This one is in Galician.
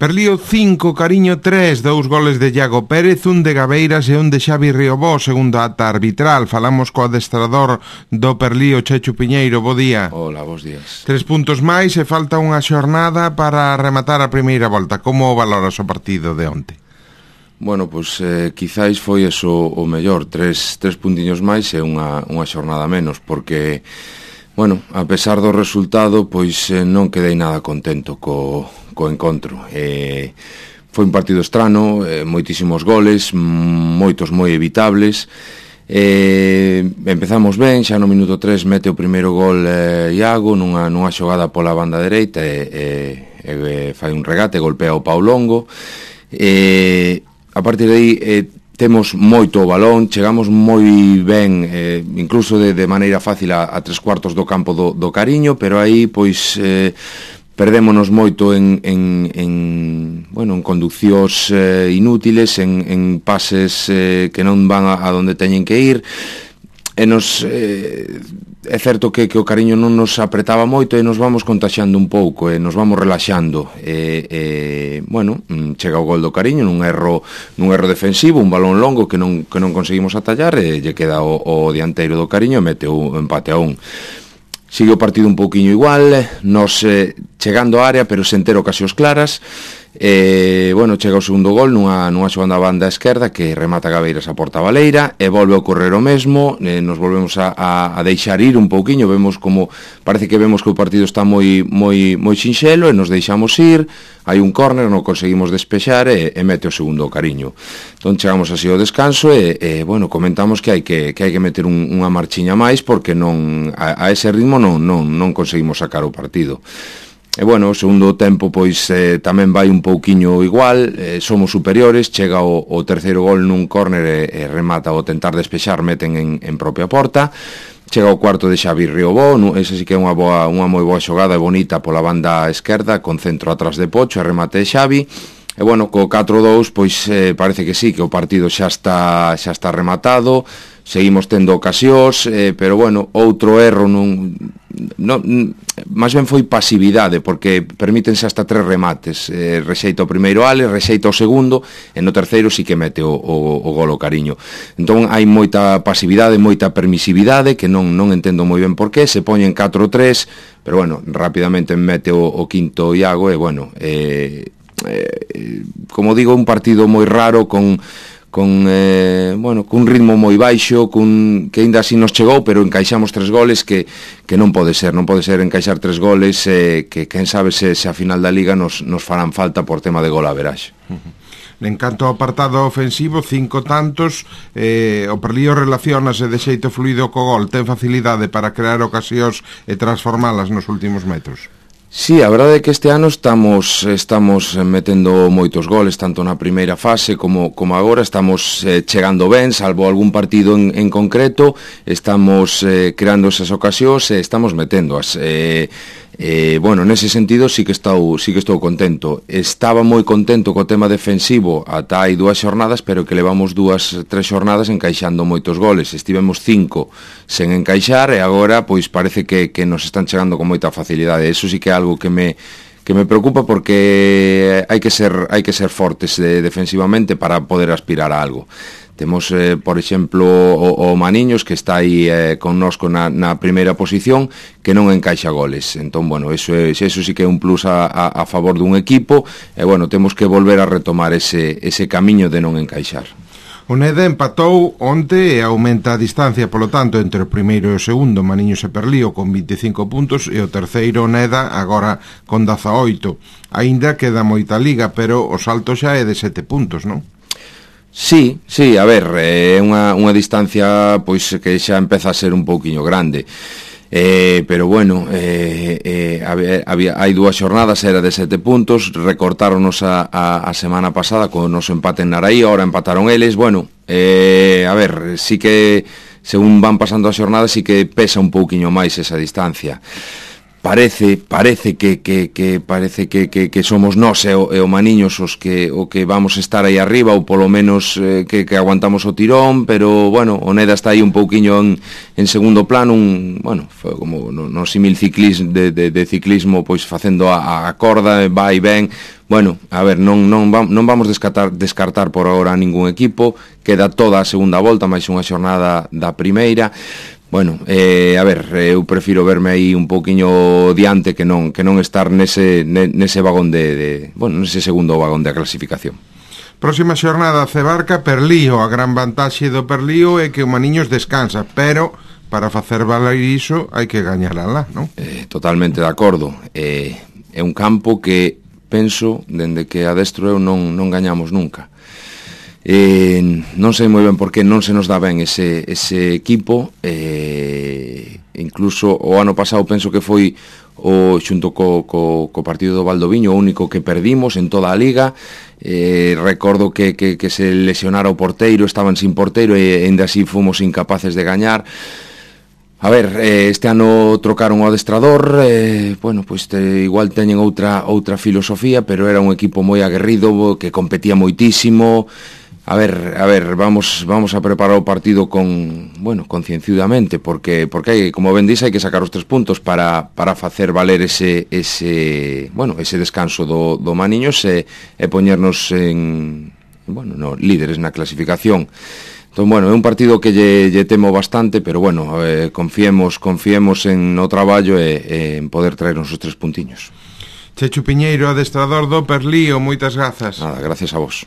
Perlío 5, Cariño 3, 2 goles de Iago Pérez, un de Gabeiras e un de Xavi Riobó, segundo ata arbitral. Falamos co adestrador do Perlío, Chechu Piñeiro, bo día. Hola, bons días. 3 puntos máis e falta unha xornada para rematar a primeira volta. Como valoras o partido de onte? Bueno, pois quizáis foi eso o mellor, tres puntiños máis e unha xornada menos, porque, bueno, a pesar do resultado, pois non quedei nada contento co encontro. Foi un partido estrano, moitísimos goles, moitos moi evitables. Empezamos ben, xa no minuto 3 mete o primeiro gol Iago nunha xogada pola banda dereita e fai un regate, golpea o pau longo. A partir de aí temos moito o balón, chegamos moi ben, incluso de maneira fácil a 3/4 do campo do Cariño, pero aí pois perdémonos moito en conduccións inútiles, en pases que non van a donde teñen que ir, e é certo que o Cariño non nos apretaba moito e nos vamos contaxiando un pouco e nos vamos relaxando chega o gol do Cariño nun erro defensivo, un balón longo que non conseguimos atallar e lle queda o dianteiro do Cariño e mete o empate a 1. Sigue o partido un pouquiño igual, nos chegando á área pero sen ter ocasións claras. Chega o segundo gol nunha xogada banda esquerda que remata Gabeiras a porta baleira e volve a ocorrer o mesmo. Nos volvemos a deixar ir un pouquiño, parece que vemos que o partido está moi sinxelo e nos deixamos ir. Hai un córner, non conseguimos despexar e mete o segundo o Cariño. Entón chegamos así ao descanso e comentamos que hai que meter unha marchiña máis porque a ese ritmo non conseguimos sacar o partido. O segundo tempo pois tamén vai un pouquiño igual, somos superiores, chega o terceiro gol nun córner e remata o tentar despexar, meten en propia porta. Chega o cuarto de Xavi Riobó, ese sí que é unha moi boa xogada e bonita pola banda esquerda, con centro atrás de Pocho e remate de Xavi. Co 4-2 pois parece que sí, que o partido xa está rematado. Seguimos tendo ocasións, pero outro erro máis ben foi pasividade, porque permítense hasta 3 remates. Rexeita o primeiro Ale, rexeita o segundo e no terceiro sí que mete o gol o Cariño. Entón hai moita pasividade, moita permisividade que non entendo moi ben por qué. Se poñen 4-3, pero rapidamente mete o quinto Iago e como digo, un partido moi raro con un ritmo moi baixo, que aínda así nos chegou, pero encaixamos 3 goles que non pode ser encaixar 3 goles que quen sabe se a final da Liga nos farán falta por tema de gol averaxe. En canto ao apartado ofensivo, 5 tantos, o Perlío relacionase de xeito fluido co gol, ten facilidade para crear ocasións e transformalas nos últimos metros. Sí, a verdade é que este ano estamos metendo moitos goles, tanto na primeira fase como agora. Estamos chegando ben, salvo algún partido en concreto, estamos creando esas ocasións e estamos meténdoas. Nese sentido sí que estou contento. Estaba moi contento co tema defensivo ata hai 2 xornadas, pero que levamos 2-3 xornadas encaixando moitos goles. Estivemos 5 sen encaixar e agora pois parece que nos están chegando con moita facilidade. Eso sí que é algo que me preocupa, porque hai que ser fortes defensivamente para poder aspirar a algo. Temos, por exemplo, o Maniños, que está aí connosco na primeira posición, que non encaixa goles. Entón, eso sí que é un plus a favor dun equipo, e temos que volver a retomar ese camiño de non encaixar. O Neda empatou onte e aumenta a distancia, polo tanto, entre o primeiro e o segundo, Maniños e Perlío, con 25 puntos, e o terceiro, Neda, agora con 18. Aínda queda moita liga, pero o salto xa é de 7 puntos, non? Sí, a ver, é unha distancia pois que xa empeza a ser un pouquiño grande. Pero hai 2 xornadas, era de 7 puntos, recortáronos a semana pasada con o noso empate en Naraí, ahora empataron eles. Sí que según van pasando as xornadas sí que pesa un pouquiño máis esa distancia. Parece que somos nós e o Maniños o que vamos estar aí arriba, ou polo menos que aguantamos o tirón, pero o Neda está aí un pouquiño en segundo plano, como no símil de ciclismo, pois facendo a corda, vai ben. Bueno, a ver, non vamos descartar por agora a ningún equipo, queda toda a segunda volta, máis unha xornada da primeira. Bueno, a ver, eu prefiro verme aí un pouquiño diante que non estar nese vagón nese segundo vagón da clasificación. Próxima xornada Cebarca Perlío. A gran vantaxe do Perlío é que o Maniños descansa, pero para facer valer iso hai que gañar alá, non? Totalmente de acordo. É un campo que penso, dende que adestro eu non gañamos nunca. Non sei moi ben por que non se nos dá ben ese equipo. Incluso o ano pasado penso que foi xunto co partido do Valdoviño o único que perdimos en toda a liga. Recordo que se lesionara o porteiro, estaban sin porteiro e ainda así fomos incapaces de gañar. A ver, este ano trocaron o adestrador, igual teñen outra filosofía, pero era un equipo moi aguerrido, que competía moitísimo. A ver, vamos a preparar o partido concienzudamente, porque hai, como ben dís, hai que sacar os 3 puntos para facer valer ese descanso do Maniños e poñernos líderes na clasificación. Entón, é un partido que lle temo bastante, pero confiemos en o traballo e en poder traernos os 3 puntiños. Chechu Piñeiro, adestrador do Perlío, moitas grazas. Nada, gracias a vos.